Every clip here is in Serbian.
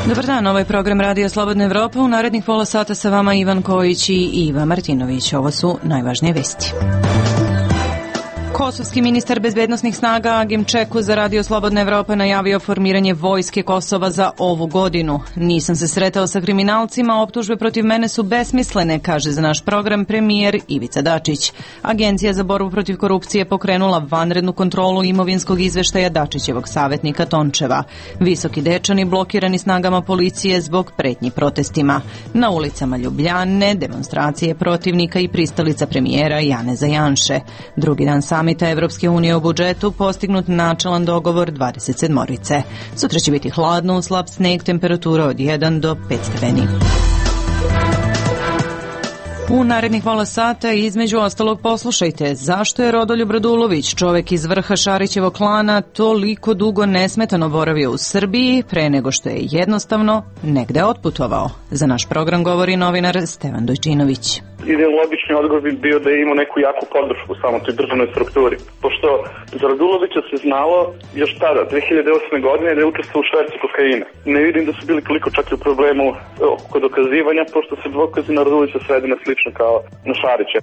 Dobar dan, ovo je program Radio Slobodna Evropa. U narednih pola sata sa vama Ivan Kojić i Iva Martinović. Ovo su najvažnije vesti. Kosovski ministar bezbednosnih snaga Agim Čeku za Radio Slobodna Evropa najavio formiranje vojske Kosova za ovu godinu. Nisam se sretao sa kriminalcima, optužbe protiv mene su besmislene, kaže za naš program premijer Ivica Dačić. Agencija za borbu protiv korupcije pokrenula vanrednu kontrolu imovinskog izveštaja Dačićevog savjetnika Tončeva. Visoki Dečani blokirani snagama policije zbog pretnji protestima. Na ulicama Ljubljane demonstracije protivnika i pristalica premijera Janeza Janše. Drugi dan samita Evropske unije o budžetu postignut načelan dogovor 27-orice. Sutra će biti hladno, slab sneg, temperatura od 1 do 5 stepeni. U narednih pola sata između ostalog poslušajte zašto je Rodoljub Radulović, čovek iz vrha Šarićevog klana, toliko dugo nesmetano boravio u Srbiji pre nego što je jednostavno negde otputovao. Za naš program govori novinar Stevan Dojčinović. Ideologični odgovor bi bio da je imao neku jaku podršku u samoj toj državnoj strukturi. Pošto za Radulovića se znalo još tada, 2008. godine, da je učestvovao u švercu kokaina. Ne vidim da su bili toliko čak i u problemu kod dokazivanja, pošto se dokazi na Radulovića svede na slično kao na Šarića.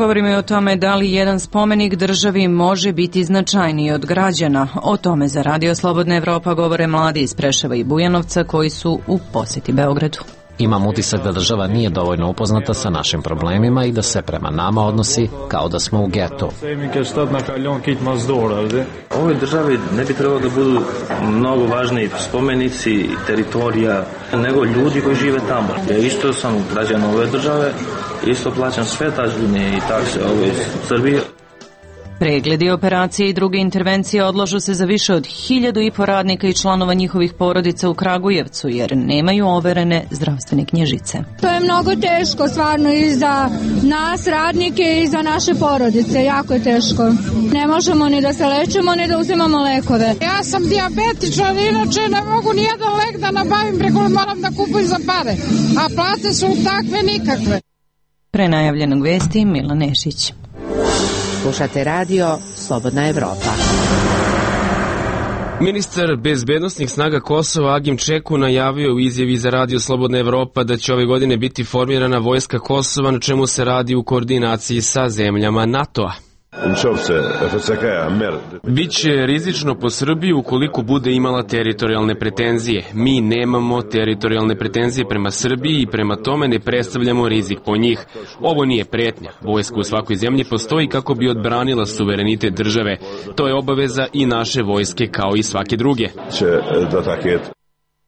Govorimo i o tome da li jedan spomenik državi može biti značajniji od građana. O tome za Radio Slobodna Evropa govore mladi iz Preševa i Bujanovca koji su u poseti Beogradu. Imam utisak da država nije dovoljno upoznata sa našim problemima i da se prema nama odnosi kao da smo u getu. Ovoj državi ne bi trebalo da budu mnogo važniji spomenici, teritorija, nego ljudi koji žive tamo. Ja isto sam građan ove države, isto plaćam sve dažbine i takse ove Srbije. Pregledi, operacije i druge intervencije odlažu se za više od 1.500 radnika i članova njihovih porodica u Kragujevcu jer nemaju overene zdravstvene knjižice. To je mnogo teško stvarno i za nas radnike i za naše porodice, jako je teško. Ne možemo ni da se lečimo ni da uzimamo lekove. Ja sam dijabetičar, inače ne mogu nijedan lek da nabavim, preko moram da kupujem za pare, a plate su takve nikakve. Pre najavljenog vesti Milan Nešić. Slušate radio Slobodna Evropa. Ministar bezbednosnih snaga Kosova Agim Čeku najavio u izjavi za Radio Slobodna Evropa da će ove godine biti formirana vojska Kosova, na čemu se radi u koordinaciji sa zemljama NATO-a. Biće rizično po Srbiji ukoliko bude imala teritorijalne pretenzije. Mi nemamo teritorijalne pretenzije prema Srbiji i prema tome ne predstavljamo rizik po njih. Ovo nije pretnja. Vojska u svakoj zemlji postoji kako bi odbranila suverenitet države. To je obaveza i naše vojske kao i svake druge.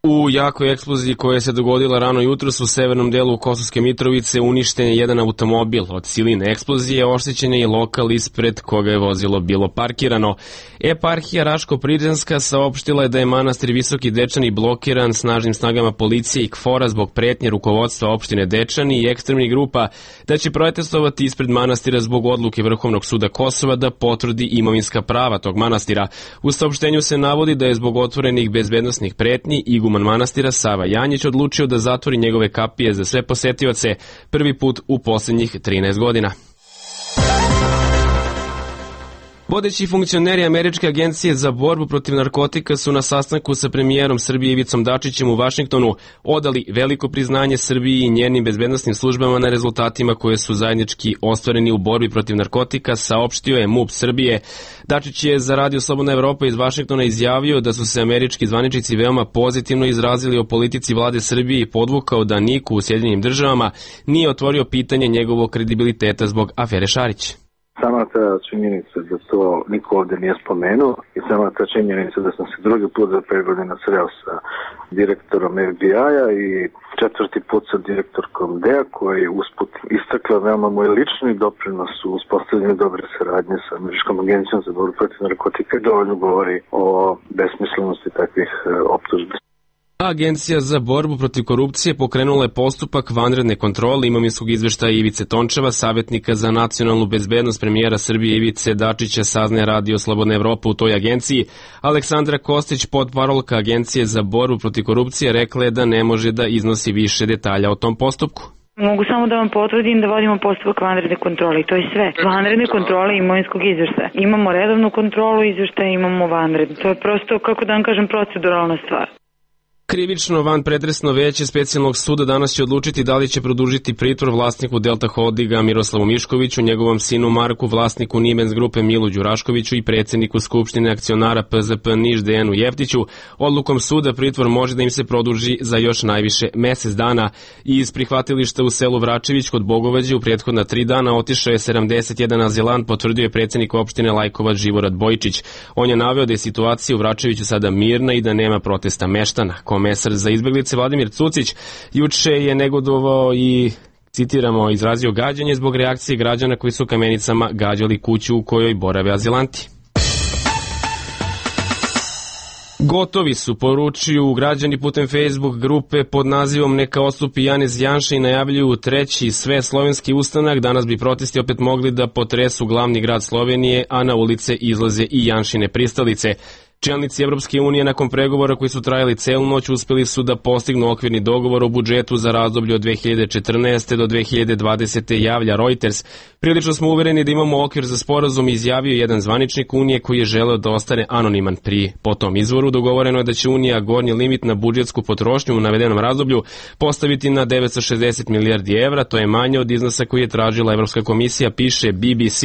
U jakoj eksploziji koja se dogodila rano jutros u severnom delu Kosovske Mitrovice uništen je jedan automobil. Od siline eksplozije oštećen je i lokal ispred koga je vozilo bilo parkirano. Eparhija Raško-Prizrenska saopštila je da je manastir Visoki Dečani blokiran snažnim snagama policije i KFOR-a zbog pretnje rukovodstva opštine Dečani i ekstremnih grupa, da će protestovati ispred manastira zbog odluke Vrhovnog suda Kosova da potvrdi imovinska prava tog manastira. U saopštenju se navodi da je zbog otvorenih bezbednosnih pretnji iguman manastira Sava Janjić odlučio da zatvori njegove kapije za sve posetioce prvi put u posljednjih 13 godina. Vodeći funkcioneri Američke agencije za borbu protiv narkotika su na sastanku sa premijerom Srbije Ivicom Dačićem u Vašingtonu odali veliko priznanje Srbiji i njenim bezbednosnim službama na rezultatima koje su zajednički ostvareni u borbi protiv narkotika, saopštio je MUP Srbije. Dačić je za Radio Slobodna Evropa iz Vašingtona izjavio da su se američki zvaničnici veoma pozitivno izrazili o politici vlade Srbije i podvukao da niko u Sjedinjenim državama nije otvorio pitanje njegovog kredibiliteta zbog afere Šarić. Sama ta činjenica da to niko ovde nije spomenuo i sama ta činjenica da sam se drugi put za 5 godina sreo sa direktorom FBI-a i 4. put sa direktorkom DEA koji je usput istakla veoma moj lični doprinos u uspostavljanju dobre saradnje sa Američkom agencijom za borbu protiv narkotika dovoljno govori o besmislenosti takvih optužbi. Agencija za borbu protiv korupcije pokrenula je postupak vanredne kontrole imovinskog izveštaja Ivice Tončeva, savjetnika za nacionalnu bezbednost premijera Srbije Ivice Dačića, saznaje Radio Slobodna Evropa u toj agenciji. Aleksandra Kostić, potparolka Agencije za borbu protiv korupcije, rekla je da ne može da iznosi više detalja o tom postupku. Mogu samo da vam potvrdim da vodimo postupak vanredne kontrole i to je sve. Vanredne kontrole imovinskog izveštaja. Imamo redovnu kontrolu izveštaja, imamo vanrednu. To je prosto, kako da vam kažem, proceduralna stvar. Krivično vanpretresno veće specijalnog suda danas će odlučiti da li će produžiti pritvor vlasniku Delta Holdinga Miroslavu Miškoviću, njegovom sinu Marku, vlasniku Nimens grupe Milu Đuraškoviću i predsjedniku Skupštine akcionara PZP Niš Dejanu Jeftiću. Odlukom suda pritvor može da im se produži za još najviše mesec dana. Iz prihvatilišta u selu Vračević kod Bogovađe u prethodna 3 dana otišao je 71 azilant, potvrdio je predsjednik opštine Lajkovac Živorad Bojičić. On je naveo da je situacija u Vračeviću sada mirna i da nema protesta meštana. Komesar za izbeglice Vladimir Cucić juče je negodovao i, citiramo, izrazio gađanje zbog reakcije građana koji su kamenicama gađali kuću u kojoj borave azilanti. Gotovi su, poručuju građani putem Facebook grupe pod nazivom Neka odstupi Janez Janša i najavljuju treći sveslovenski ustanak. Danas bi protesti opet mogli da potresu glavni grad Slovenije, a na ulice izlaze i Janšine pristalice. Čelnici Evropske unije nakon pregovora koji su trajali celu noć uspeli su da postignu okvirni dogovor o budžetu za razdoblje od 2014. do 2020. javlja Reuters. Prilično smo uvereni da imamo okvir za sporazum, izjavio jedan zvaničnik Unije koji je želeo da ostane anoniman. Po tom izvoru dogovoreno je da će Unija gornji limit na budžetsku potrošnju u navedenom razdoblju postaviti na 960 milijardi evra, to je manje od iznosa koji je tražila Evropska komisija, piše BBC.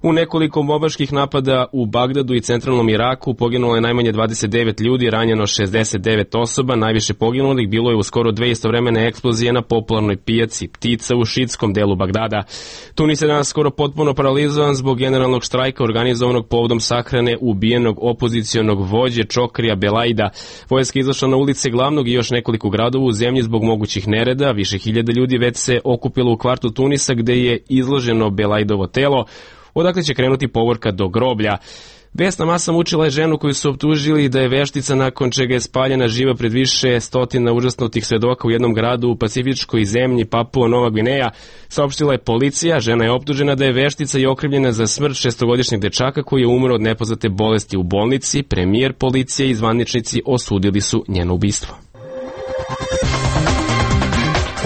U nekoliko bombaških napada u Bagdadu i centralnom Iraku poginulo je najmanje 29 ljudi, ranjeno 69 osoba, najviše poginulih bilo je u skoro 2 istovremene eksplozije na popularnoj pijaci Ptica u šiitskom delu Bagdada. Tunis je danas skoro potpuno paralizovan zbog generalnog štrajka organizovanog povodom sahrane ubijenog opozicionog vođe Čokrija Belaida. Vojska je izašla na ulice glavnog i još nekoliko gradova u zemlji zbog mogućih nereda. Više hiljada ljudi već se okupilo u kvartu Tunisa gde je izloženo Belaidovo telo, odakle će krenuti povorka do groblja. Vesna masa mučila je ženu koju su optužili da je veštica, nakon čega je spaljena živa pred više stotina užasnutih svedoka u jednom gradu u pacifičkoj zemlji Papua Nova Gvineja. Saopštila je policija, žena je optužena da je veštica i okrivljena za smrt 6-godišnjeg dečaka koji je umro od nepoznate bolesti u bolnici. Premijer, policija i zvaničnici osudili su njeno ubistvo.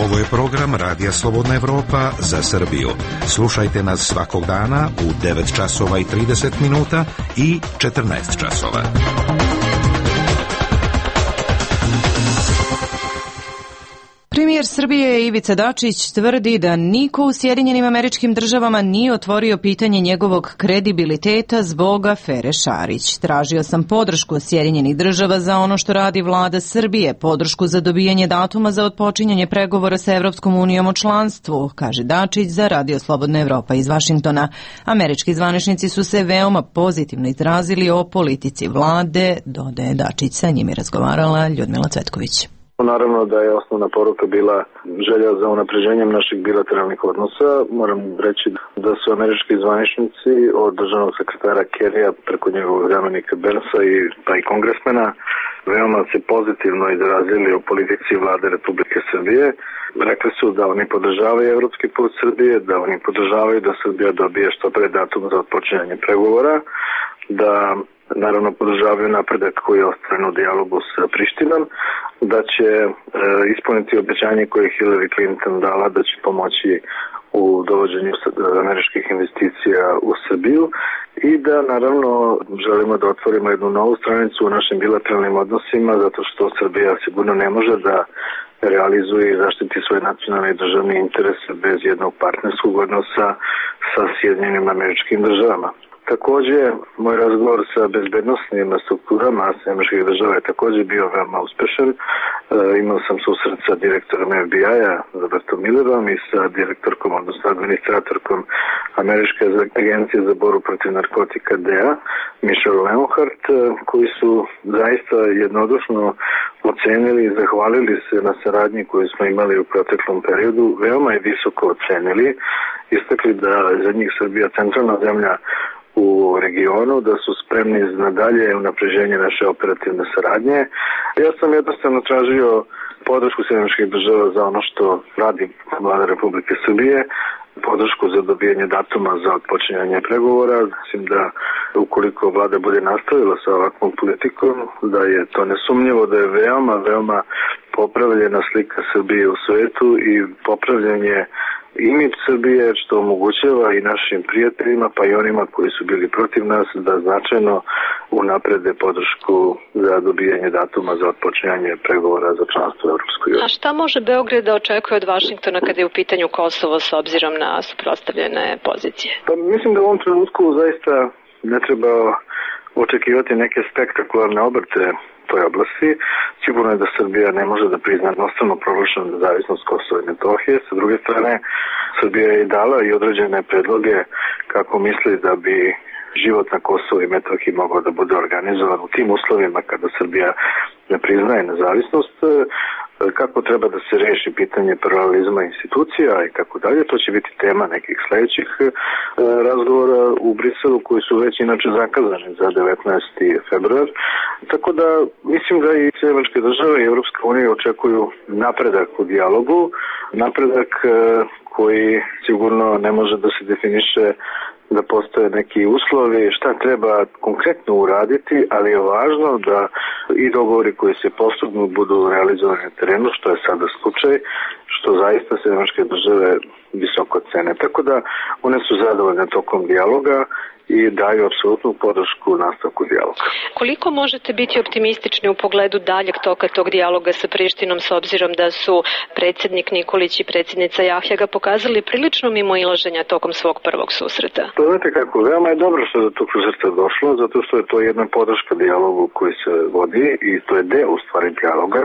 Ovo je program Radija Slobodna Evropa za Srbiju. Slušajte nas svakog dana u 9 časova i 30 minuta i 14 časova. Premijer Srbije Ivica Dačić tvrdi da niko u Sjedinjenim Američkim Državama nije otvorio pitanje njegovog kredibiliteta zbog afere Šarić. Tražio sam podršku Sjedinjenih Država za ono što radi vlada Srbije, podršku za dobijanje datuma za otpočinjanje pregovora sa Evropskom unijom o članstvu, kaže Dačić za Radio Slobodna Evropa iz Vašingtona. Američki zvaničnici su se veoma pozitivno izrazili o politici vlade, dodaje Dačić. Sa njim je razgovarala Ljudmila Cvetković. Naravno da je osnovna poruka bila želja za unapređenjem naših bilateralnih odnosa. Moram reći da su američki zvaničnici od državnog sekretara Kerrya preko njegovog zamenika Bernsa pa i kongresmena veoma se pozitivno izrazili o politici vlade Republike Srbije. Rekli su da oni podržavaju evropski put Srbije, da oni podržavaju da Srbija dobije što pre datum za otpočinjanje pregovora, da naravno podržavaju napredak koji je ostvaren u dijalogu sa Prištinom, da će ispuniti obećanje koje je Hillary Clinton dala da će pomoći u dovođenju američkih investicija u Srbiju i da naravno želimo da otvorimo jednu novu stranicu u našim bilateralnim odnosima zato što Srbija sigurno ne može da realizuje i zaštiti svoje nacionalne i državne interese bez jednog partnerskog odnosa sa Sjedinjenim Američkim Državama. Takođe, moj razgovor sa bezbednostnim strukturama Američkih Država je takođe bio veoma uspešan. Imao sam susret sa direktorom FBI-a, Robertom Millerom, i sa direktorkom, odnosno administratorkom Američke agencije za borbu protiv narkotika DEA, Michelle Leonhardt, koji su zaista jednodušno ocenili i zahvalili se na saradnji koju smo imali u proteklom periodu. Veoma je visoko ocenili, istakli da za njih Srbija centralna zemlja u regionu, da su spremni na dalje unapređenje naše operativne saradnje. Ja sam jednostavno tražio podršku Sjedinjenih Država za ono što radi vlada Republike Srbije, podršku za dobijanje datuma za otpočinjanje pregovora. Mislim da ukoliko vlada bude nastavila sa ovakvom politikom, da je to nesumnjivo, da je veoma popravljena slika Srbije u svetu i popravljanje imidž Srbije, što omogućava i našim prijateljima, pa i onima koji su bili protiv nas, da značajno unaprede podršku za dobijanje datuma za otpočinjanje pregovora za članstvo u Europskoj uniji. A šta može Beograd da očekuje od Vašingtona kada je u pitanju Kosovo s obzirom na suprotstavljene pozicije? Pa mislim da u ovom trenutku zaista ne treba očekivati neke spektakularne obrte toj oblasti. Sigurno je da Srbija ne može da prizna jednostavno proglašenu nezavisnost Kosova i Metohije. Sa druge strane, Srbija je dala i određene predloge kako misli da bi život na Kosovu i Metohiji mogao da bude organizovan u tim uslovima kada Srbija ne priznaje nezavisnost, kako treba da se reši pitanje pluralizma institucija i kako dalje. To će biti tema nekih sledećih razgovora u Briselu koji su već inače zakazani za 19. februar. Tako da mislim da i Sjevernoameričke države i Evropska unija očekuju napredak u dijalogu, napredak koji sigurno ne može da se definiše da postoje neki uslovi šta treba konkretno uraditi, ali je važno da i dogovori koji se postignu budu realizovani na terenu, što je sada slučaj, što zaista Sjevernoameričke države visoko cene. Tako da one su zadovoljne tokom dijaloga i daju apsolutnu podršku nastavku dijaloga. Koliko možete biti optimistični u pogledu daljeg toka tog dijaloga sa Prištinom s obzirom da su predsjednik Nikolić i predsjednica Jahjaga pokazali prilično mimoilaženja tokom svog prvog susreta? To znate kako, veoma je dobro što je do tog susreta došlo, zato što je to jedna podrška dijalogu koji se vodi i to je deo u stvari dijaloga.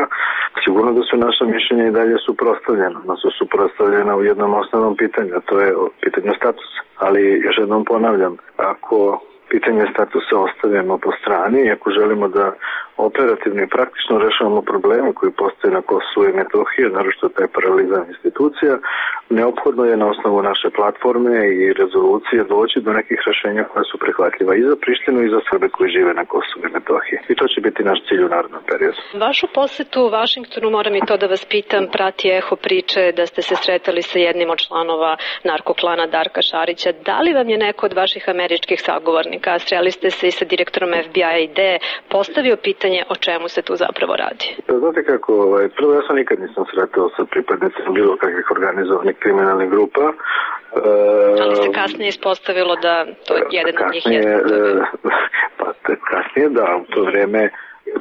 Sigurno da su naša mišljenja i dalje suprotstavljena, da su suprotstavljena u jednom osnovnom pitanju, a to je pitanje statusa. Ali još jednom ponavljam, ako pitanje statusa ostavimo po strani i ako želimo da operativno i praktično rešavamo probleme koji postoje na Kosovu i Metohiji, naročito taj paralizam institucija, neophodno je na osnovu naše platforme i rezolucije doći do nekih rešenja koja su prihvatljiva i za Prištinu i za Srbe koji žive na Kosovu i Metohiji. I to će biti naš cilj u narednom periodu. Vašu posetu u Vašingtonu, moram i to da vas pitam, prati eho priče da ste se sretali sa jednim od članova narkoklana Darka Šarića. Da li vam je neko od vaših američkih sagovornika, sreli ste se i sa direktorom FBI-a i D, postavio pitanje o čemu se tu zapravo radi? Da, znate kako, prvo ja sam nikad nisam sretao sa pripadnicima bilo kakvih organizovanih kriminalnih grupa. Ali se kasnije ispostavilo da to jedan od njih je. Kasnije da, u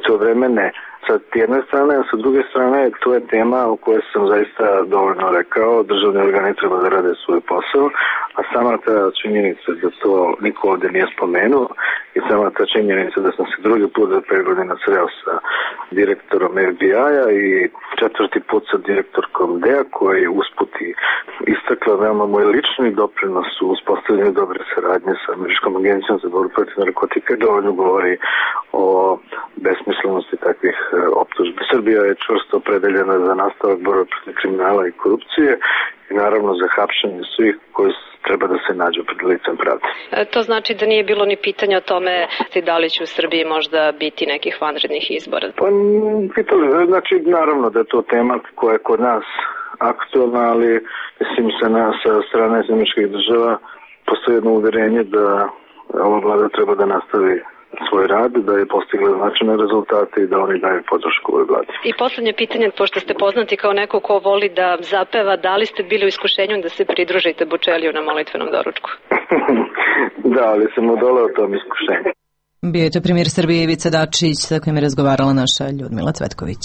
to vreme ne. Sa jedne strane, a sa druge strane, to je tema o kojoj sam zaista dovoljno rekao. Državni organi treba da rade svoj posao, a sama ta činjenica da to niko ovde nije spomenuo i sama ta činjenica da sam se drugi put za 5 godina sreo sa direktorom FBI-a i 4. put sa direktorkom D-a koji je usputi istakla veoma moj lični doprinos u uspostavljanju dobre saradnje sa Američkom agencijom za borbu protiv narkotika, dovoljno govori o besmislenosti takvih optužbi. Srbija je čvrsto opredeljena za nastavak borbe protiv kriminala i korupcije i naravno za hapšenje svih koji treba da se nađu pred licem pravde. To znači da nije bilo ni pitanja o tome da li će u Srbiji možda biti nekih vanrednih izbora? Pa pitali, znači naravno da je to tema koja je kod nas aktualna, ali mislim sa strane Sjedinjenih država postoji jedno uverenje da ova vlada treba da nastavi svoj rad, da je postigla značajne rezultate i da oni daju podršku ovoj vladi. I poslednje pitanje, pošto ste poznati kao neko ko voli da zapeva, da li ste bili u iskušenju da se pridružite Bočeliju na molitvenom doručku? Da, ali sam odoleo tom iskušenju. Bio je to premijer Srbije Ivica Dačić, sa kojim je razgovarala naša Ljudmila Cvetković.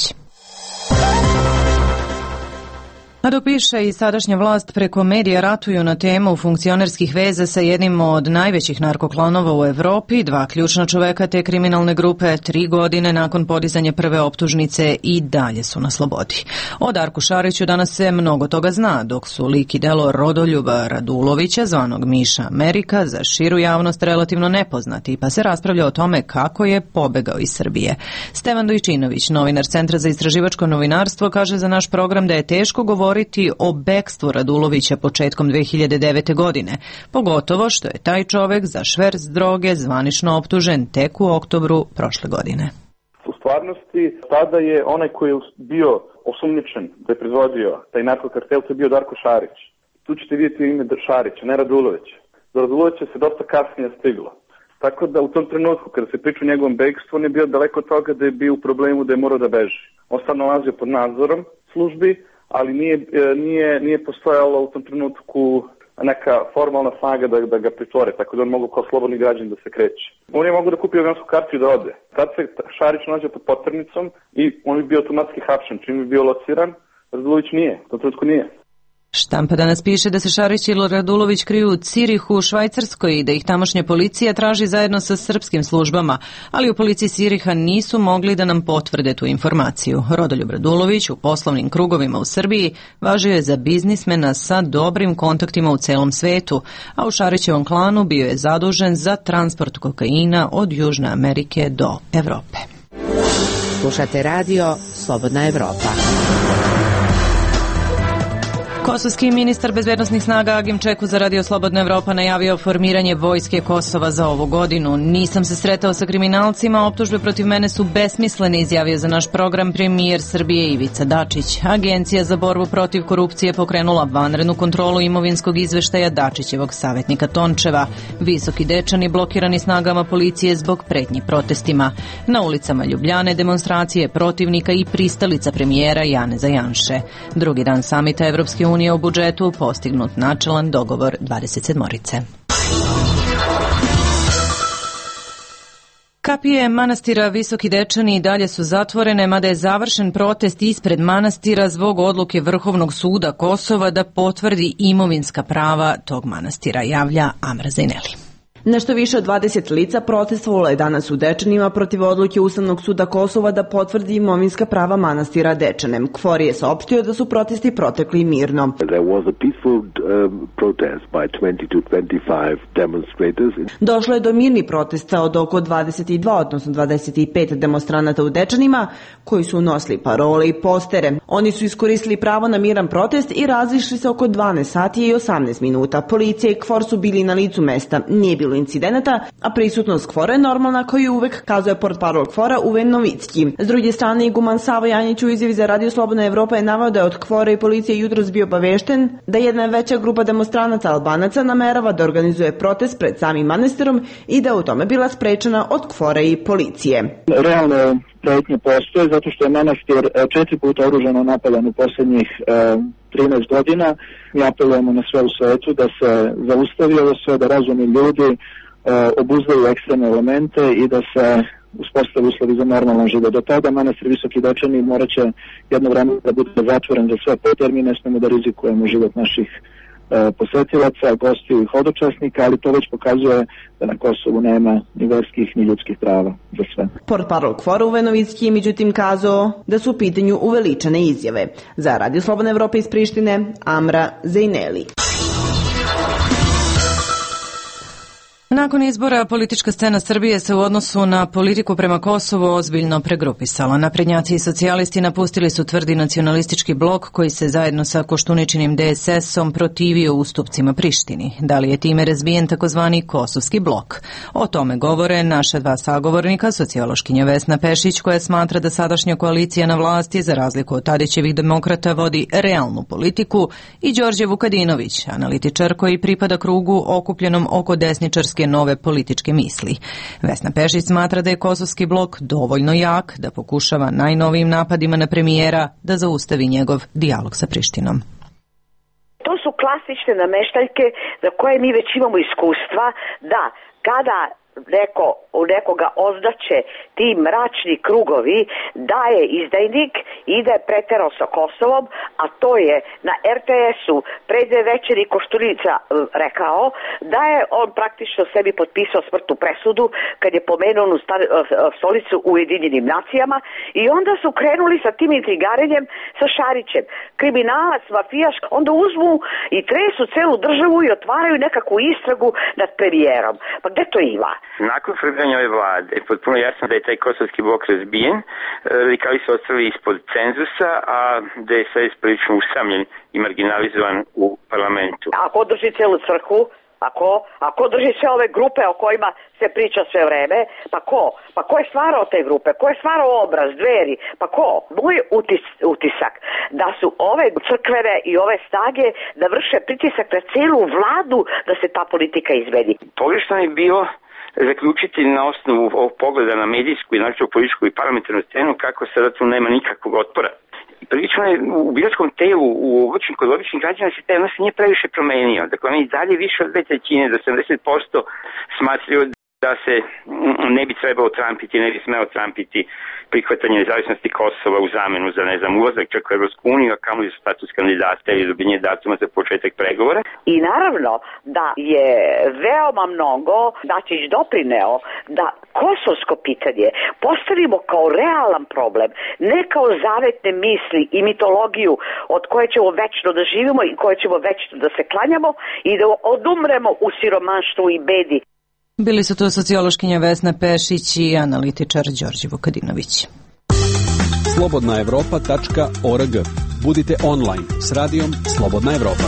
A dok piše i sadašnja vlast preko medija ratuju na temu funkcionerskih veza sa jednim od najvećih narkoklanova u Evropi, dva ključna čoveka te kriminalne grupe 3 godine nakon podizanja prve optužnice i dalje su na slobodi. O Darku Šariću danas se mnogo toga zna, dok su lik i delo Rodoljuba Radulovića, zvanog Miša Amerika, za širu javnost relativno nepoznati, pa se raspravlja o tome kako je pobegao iz Srbije. Stevan Dojčinović, novinar Centra za istraživačko novinarstvo, kaže za naš program da je teško govoriti o bekstvu Radulovića početkom 2009. godine, pogotovo što je taj čovek za šverc droge zvanično optužen tek u oktobru prošle godine. U stvarnosti, tada je onaj koji je bio osumnjičen da je proizvodio taj narkokartel, to je bio Darko Šarić. Tu ćete vidjeti ime Šarića, ne Radulovića. Do Radulovića se dosta kasnije stiglo. Tako da u tom trenutku, kada se priča o njegovom bekstvu, on je bio daleko od toga da je bio u problemu da je morao da beži. On sad nalazio pod nadzorom službi, ali nije postojalo u tom trenutku neka formalna snaga da ga pritvore, tako da on mogu kao slobodni građan da se kreće. On je mogu da kupi avionsku kartu i da ode. Tad se Šarić nađe pod poternicom i on bi bio automatski hapšen. Čim bi bio lociran, Radulović nije, u tom trenutku nije. Štampa danas piše da se Šarić i Radulović kriju u Cirihu u Švajcarskoj i da ih tamošnja policija traži zajedno sa srpskim službama, ali u policiji Ciriha nisu mogli da nam potvrde tu informaciju. Rodoljub Radulović u poslovnim krugovima u Srbiji važio je za biznismena sa dobrim kontaktima u celom svetu, a u Šarićevom klanu bio je zadužen za transport kokaina od Južne Amerike do Evrope. Slušate radio Slobodna Evropa. Kosovski ministar bezbednosnih snaga Agim Čeku za Radio Slobodna Evropa najavio formiranje vojske Kosova za ovu godinu. Nisam se sretao sa kriminalcima, optužbe protiv mene su besmislene, izjavio za naš program premijer Srbije Ivica Dačić. Agencija za borbu protiv korupcije pokrenula vanrednu kontrolu imovinskog izveštaja Dačićevog savjetnika Tončeva. Visoki Dečani blokirani snagama policije zbog pretnji protestima. Na ulicama Ljubljane demonstracije protivnika i pristalica premijera Janeza Janše. Drugi dan samita Evropske unije o budžetu postignut načelan dogovor 27-orice. Kapije manastira Visoki Dečani i dalje su zatvorene, mada je završen protest ispred manastira zbog odluke Vrhovnog suda Kosova da potvrdi imovinska prava tog manastira, javlja Amra Zaineli. Nešto više od 20 lica protestovalo je danas u Dečanima protiv odluke Ustavnog suda Kosova da potvrdi imovinska prava manastira Dečanem. KFOR je saopštio da su protesti protekli mirno. Došlo je do mirnih protesta od oko 22, odnosno 25 demonstranata u Dečanima, koji su nosili parole i postere. Oni su iskoristili pravo na miran protest i razišli se oko 12 sati i 18 minuta. Policija i KFOR su bili na licu mesta. Nije bilo incidenata, a prisutnost KFOR-a je normalna, koji uvek kazuje portparol KFOR-a Uven Novicki. S druge strane, iguman Savo Janjić u izjavi za Radio Slobodna Evropa je naveo da je od KFOR-a i policije jutros bio obavešten da jedna veća grupa demonstranata Albanaca namerava da organizuje protest pred samim manastirom i da je u tome bila sprečena od KFOR-a i policije. Realno pretnje postoje zato što je manastir 4 puta oružano napadan u posljednjih 13 godina. Mi apelujemo na sve u svetu da se zaustavi ovo sve, da razumni ljudi obuzdaju ekstremne elemente i da se uspostavi uslovi za normalan život. Do tada manastir Visoki Dečani morat će jedno vreme da bude zatvoren za sve put, mi ne smemo da rizikujemo život naših posetilaca, gostiju i hodočasnika, ali to već pokazuje da na Kosovu nema ni verskih ni ljudskih prava za sve. Portparol KFOR-a Uven Novicki je međutim kazao da su u pitanju uveličane izjave. Za Radio Slobodna Evropa iz Prištine, Amra Zaineli. Nakon izbora politička scena Srbije se u odnosu na politiku prema Kosovu ozbiljno pregrupisala. Naprednjaci i socijalisti napustili su tvrdi nacionalistički blok koji se zajedno sa Koštuničinim DSS-om protivio ustupcima Prištini. Da li je time razbijen takozvani kosovski blok? O tome govore naša dva sagovornika, sociološkinja Vesna Pešić, koja smatra da sadašnja koalicija na vlasti, za razliku od Tadićevih demokrata, vodi realnu politiku, i Đorđe Vukadinović, analitičar koji pripada krugu okupljenom oko desničarske nove političke misli. Vesna Pešić smatra da je kosovski blok dovoljno jak da pokušava najnovijim napadima na premijera da zaustavi njegov dijalog sa Prištinom. To su klasične nameštaljke za koje mi već imamo iskustva da kada nekoga ozdaće ti mračni krugovi da je izdajnik i da je preterao sa Kosovom, a to je na RTS-u pre 2 večeri Koštunica rekao da je on praktično sebi potpisao smrtnu presudu kad je pomenuo onu stolicu u Ujedinjenim nacijama, i onda su krenuli sa tim intrigarenjem sa Šarićem. Kriminalac, mafijaš, onda uzmu i tresu celu državu i otvaraju nekakvu istragu nad premijerom. Pa gde to ima? Nakon formiranja ove vlade je potpuno jasno da je taj kosovski blok razbijen, radikali su ostali ispod cenzusa, a DSS prilično usamljen i marginalizovan u parlamentu. Ako drži celu crkvu, ako drži sve ove grupe o kojima se priča sve vreme, pa ko? Pa ko je stvarao te grupe? Ko je stvarao obraz, Dveri? Pa ko? Moj utisak da su ove crkvene i ove snage da vrše pritisak na celu vladu da se ta politika izmeni. Pogrešno je bilo zaključiti na osnovu ovog pogleda na medijsku i načinu političku i parlamentarnu scenu kako sada tu nema nikakvog otpora. prilično je u biračkom telu, kod običnih građana se taj odnos nije previše promenio. Dakle, oni dalje više od 2/3, do 70% smatraju da se ne bi trebalo trampiti, ne bi smelo trampiti prihvatanje nezavisnosti Kosova u zamenu za, ulazak čak u Evropsku uniju, a kamoli za status kandidata ili dobijenje datuma za početak pregovora. I naravno da je veoma mnogo Dačić doprineo da kosovsko pitanje postavimo kao realan problem, ne kao zavetne misli i mitologiju od koje ćemo večno da živimo i koje ćemo večno da se klanjamo i da odumremo u siromaštvu i bedi. Bili su to sociološkinja Vesna Pešić i analitičar Đorđe Vukadinović. slobodnaevropa.org. Budite online s radijom Slobodna Evropa.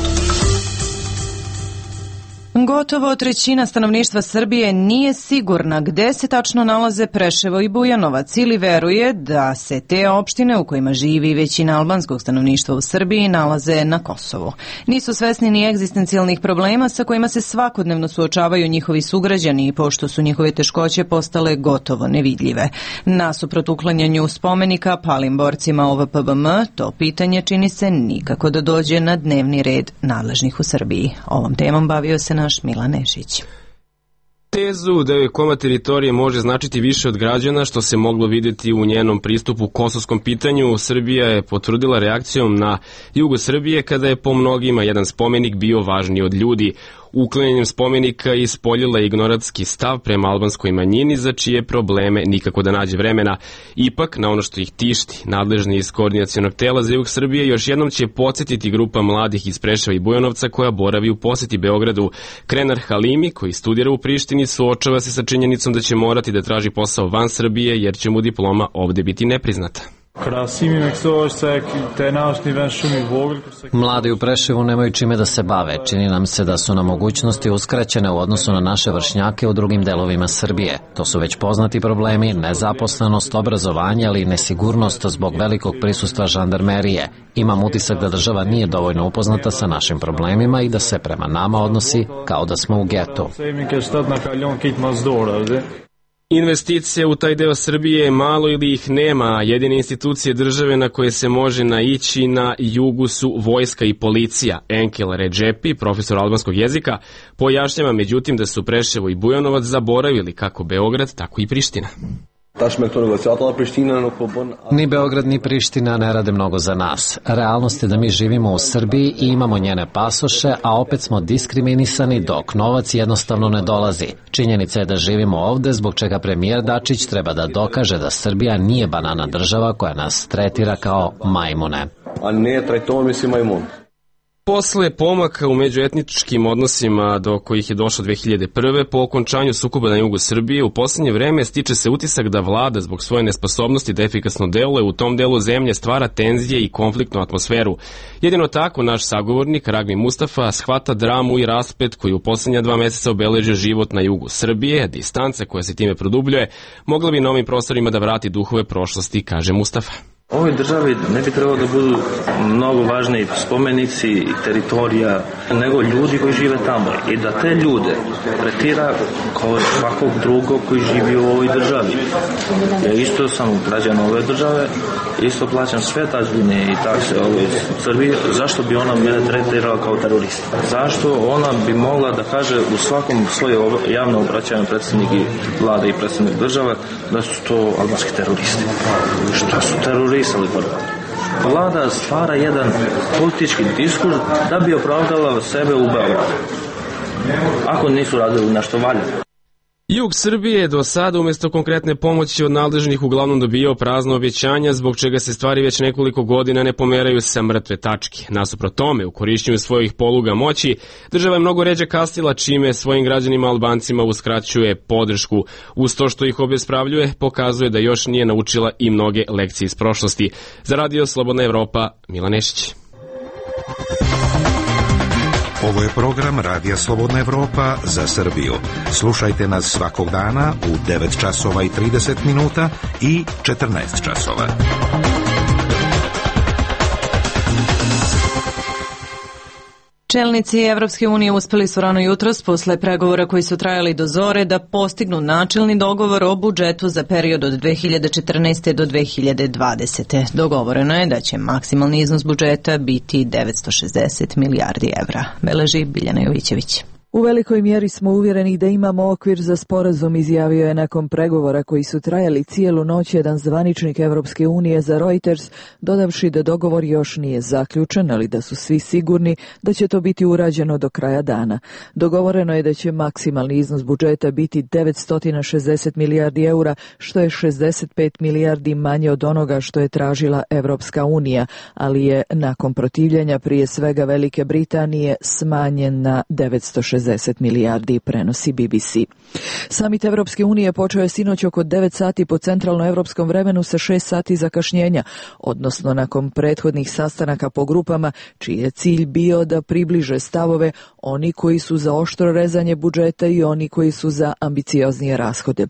Gotovo trećina stanovništva Srbije nije sigurna gde se tačno nalaze Preševo i Bujanovac ili veruje da se te opštine u kojima živi većina albanskog stanovništva u Srbiji nalaze na Kosovu. Nisu svesni ni egzistencijalnih problema sa kojima se svakodnevno suočavaju njihovi sugrađani i pošto su njihove teškoće postale gotovo nevidljive. Nasuprot uklanjanju spomenika palim borcima OVPBM, to pitanje čini se nikako da dođe na dnevni red nadležnih u Srbiji. Ovom temom bavio se naš Milan Nešić. Tezu da joj komad teritorije može značiti više od građana, što se moglo vidjeti u njenom pristupu kosovskom pitanju, Srbija je potvrdila reakcijom na jugu Srbije kada je po mnogima jedan spomenik bio važniji od ljudi. Uklanjanjem spomenika ispoljila ignoratski stav prema albanskoj manjini za čije probleme nikako da nađe vremena. Ipak, na ono što ih tišti, nadležni iz koordinacionog tela za jug Srbije još jednom će podsjetiti grupa mladih iz Preševa i Bujanovca koja boravi u poseti Beogradu. Krenar Halimi, koji studira u Prištini, suočava se sa činjenicom da će morati da traži posao van Srbije jer će mu diploma ovde biti nepriznata. Mladi u Preševu nemaju čime da se bave. Čini nam se da su nam mogućnosti uskraćene u odnosu na naše vršnjake u drugim delovima Srbije. To su već poznati problemi, nezaposlenost, obrazovanje, ali i nesigurnost zbog velikog prisustva žandarmerije. Imam utisak da država nije dovoljno upoznata sa našim problemima i da se prema nama odnosi kao da smo u getu. Investicije u taj deo Srbije je malo ili ih nema, a jedine institucije države na koje se može naići na jugu su vojska i policija. Enkel Redžepi, profesor albanskog jezika, pojašnjava međutim da su Preševo i Bujanovac zaboravili kako Beograd, tako i Priština. Ni Beograd ni Priština ne rade mnogo za nas. Realnost je da mi živimo u Srbiji i imamo njene pasoše, a opet smo diskriminisani dok novac jednostavno ne dolazi. Činjenica je da živimo ovde, zbog čega premijer Dačić treba da dokaže da Srbija nije banana država koja nas tretira kao majmune. A ne tretujemo mislim majmun. Posle pomaka u međuetničkim odnosima do kojih je došlo 2001. po okončanju sukoba na jugu Srbije, u poslednje vreme stiče se utisak da vlada zbog svoje nesposobnosti da efikasno deluje u tom delu zemlje stvara tenzije i konfliktnu atmosferu. Jedino tako naš sagovornik Ragmi Mustafa shvata dramu i rasplet koji u poslednja 2 meseca obeležio život na jugu Srbije, distanca koja se time produbljuje, mogla bi na ovim prostorima da vrati duhove prošlosti, kaže Mustafa. Ovoj državi ne bi trebalo da budu mnogo važni spomenici i teritorija nego ljudi koji žive tamo i da te ljude tretira kao svakog drugog koji živi u ovoj državi. Ja isto sam građan ove države, isto plaćam sve tačbine i takse ovoj Srbiji, zašto bi ona mene tretirala kao terorista? Zašto ona bi mogla da kaže u svakom svoje javno obraćanju predsjednik vlade i predsjednik države da su to albanski teroristi? Šta su teroristi? Vlada stvara jedan politički diskurs da bi opravdala sebe u Beogradu. Ako nisu radili nešto valjano. Jug Srbije do sada umjesto konkretne pomoći od nadležnih uglavnom dobijao prazno obećanja, zbog čega se stvari već nekoliko godina ne pomeraju sa mrtve tačke. Nasuprot tome, u korišćenju svojih poluga moći, država je mnogo ređe kasnila, čime svojim građanima Albancima uskraćuje podršku. Uz to što ih obespravljuje, pokazuje da još nije naučila i mnoge lekcije iz prošlosti. Za Radio Slobodna Evropa, Milan Nešić. Ovo je program Radija Slobodna Evropa za Srbiju. Slušajte nas svakog dana u 9 časova i 30 minuta i 14 časova. Čelnici Evropske unije uspeli su rano jutros posle pregovora koji su trajali do zore da postignu načelni dogovor o budžetu za period od 2014. do 2020. Dogovoreno je da će maksimalni iznos budžeta biti 960 milijardi evra. Beleži Biljana Jovićević. U velikoj mjeri smo uvjereni da imamo okvir za sporazum, izjavio je nakon pregovora koji su trajali cijelu noć jedan zvaničnik Evropske unije za Reuters, dodavši da dogovor još nije zaključen, ali da su svi sigurni da će to biti urađeno do kraja dana. Dogovoreno je da će maksimalni iznos budžeta biti 960 milijardi eura, što je 65 milijardi manje od onoga što je tražila Evropska unija, ali je nakon protivljenja prije svega Velike Britanije smanjen na 960 milijardi, prenosi BBC. Samit Evropske unije počeo je sinoć oko 9 sati po centralnoevropskom vremenu sa 6 sati zakašnjenja, odnosno nakon prethodnih sastanaka po grupama, čiji je cilj bio da približe stavove oni koji su za oštro rezanje budžeta i oni koji su za ambicioznije rashode.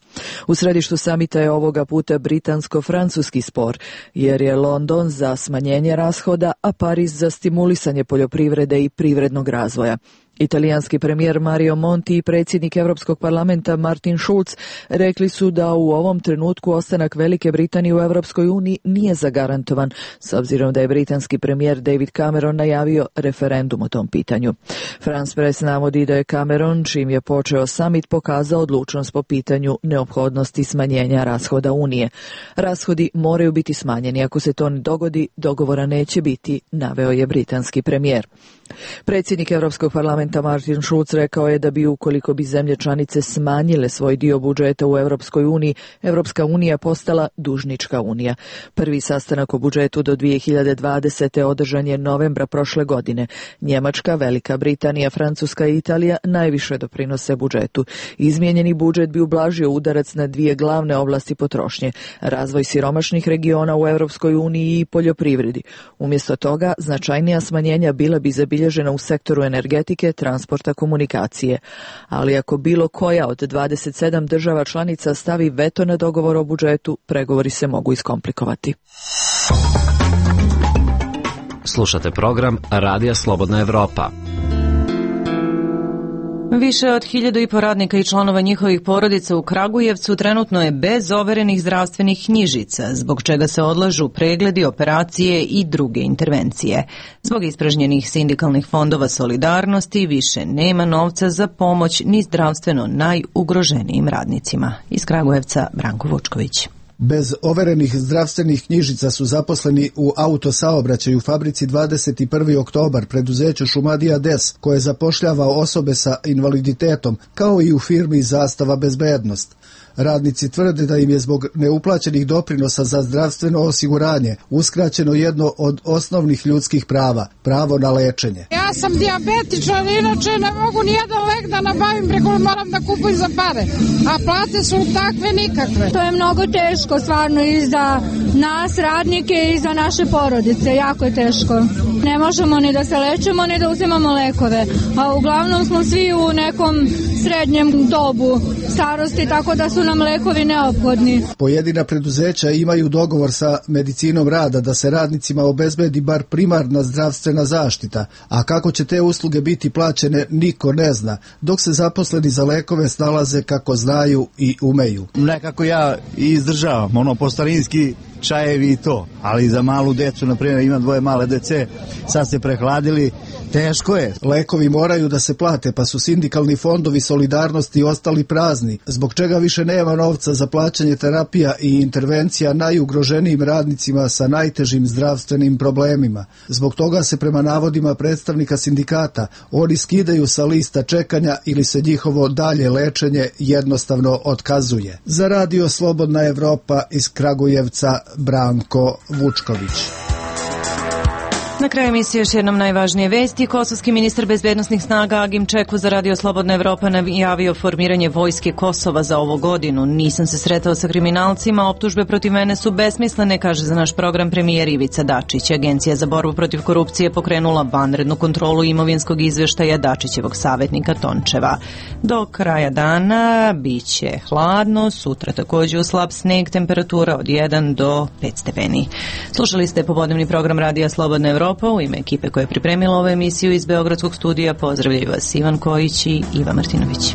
U središtu samita je ovoga puta britansko-francuski spor, jer je London za smanjenje rashoda, a Pariz za stimulisanje poljoprivrede i privrednog razvoja. Italijanski premijer Mario Monti i predsjednik Europskog parlamenta Martin Schulz rekli su da u ovom trenutku ostanak Velike Britanije u Europskoj uniji nije zagarantovan, s obzirom da je britanski premijer David Cameron najavio referendum o tom pitanju. France Press navodi da je Cameron, čim je počeo samit, pokazao odlučnost po pitanju neophodnosti smanjenja rashoda Unije. Rashodi moraju biti smanjeni, ako se to ne dogodi, dogovora neće biti, naveo je britanski premijer. Predsjednik Europskog parlamenta Martin Schulz rekao je da bi, ukoliko bi zemlje članice smanjile svoj dio budžeta u Europskoj uniji, Europska unija postala dužnička unija. Prvi sastanak o budžetu do 2020. održan je novembra prošle godine. Njemačka, Velika Britanija, Francuska i Italija najviše doprinose budžetu. Izmijenjeni budžet bi ublažio udarac na dvije glavne oblasti potrošnje: razvoj siromašnih regiona u Europskoj uniji i poljoprivredi. Umjesto toga, značajnija smanjenja bila bi zabilježena u sektoru energetike, transporta, komunikacije. Ali ako bilo koja od 27 država članica stavi veto na dogovor o budžetu, pregovori se mogu iskomplikovati. Slušate program Radija Slobodna Evropa. Više od 1.500 radnika i članova njihovih porodica u Kragujevcu trenutno je bez overenih zdravstvenih knjižica, zbog čega se odlažu pregledi, operacije i druge intervencije. Zbog ispražnjenih sindikalnih fondova solidarnosti više nema novca za pomoć ni zdravstveno najugroženijim radnicima. Iz Kragujevca Branko Vučković. Bez overenih zdravstvenih knjižica su zaposleni u autosaobraćaju fabrici 21. oktobar, preduzeću Šumadija Des, koje zapošljava osobe sa invaliditetom, kao i u firmi Zastava bezbednost. Radnici tvrde da im je zbog neuplaćenih doprinosa za zdravstveno osiguranje uskraćeno jedno od osnovnih ljudskih prava, pravo na lečenje. Ja sam dijabetičan, inače ne mogu nijedan lek da nabavim, preko moram da kupujem za pare, a plate su takve nikakve. To je mnogo teško, stvarno, i za nas radnike i za naše porodice, jako je teško. Ne možemo ni da se lečemo, ni da uzimamo lekove, a uglavnom smo svi u nekom srednjem dobu starosti, tako da su nam lekovi neophodni. Pojedina preduzeća imaju dogovor sa medicinom rada da se radnicima obezbedi bar primarna zdravstvena zaštita, a kako će te usluge biti plaćene niko ne zna, dok se zaposleni za lekove snalaze kako znaju i umeju. Nekako ja izdržavam, po starinski čajevi i to, ali za malu decu, na primjer, ima 2 male dece, sad se prehladili, teško je. Lekovi moraju da se plate, pa su sindikalni fondovi solidarnosti ostali prazni, zbog čega više nema novca za plaćanje terapija i intervencija najugroženijim radnicima sa najtežim zdravstvenim problemima. Zbog toga se, prema navodima predstavnika sindikata, oni skidaju sa lista čekanja ili se njihovo dalje lečenje jednostavno otkazuje. Za Radio Slobodna Evropa iz Kragujevca, Branko Vučković. Na kraju emisije još jednom najvažnije vesti. Kosovski ministar bezbednosnih snaga Agim Čeku za Radio Slobodna Evropa najavio formiranje vojske Kosova za ovu godinu. Nisam se sretao sa kriminalcima, optužbe protiv mene su besmislene, kaže za naš program premijer Ivica Dačić. Agencija za borbu protiv korupcije pokrenula vanrednu kontrolu imovinskog izveštaja Dačićevog savjetnika Tončeva. Do kraja dana biće hladno, sutra također u slab sneg, temperatura od 1 do 5 stepeni. Slušali ste popodnevni program Radija Slobodna Evropa. Evropa. U ime ekipe koja je pripremila ovu emisiju iz Beogradskog studija pozdravljaju vas Ivan Kojić i Iva Martinović.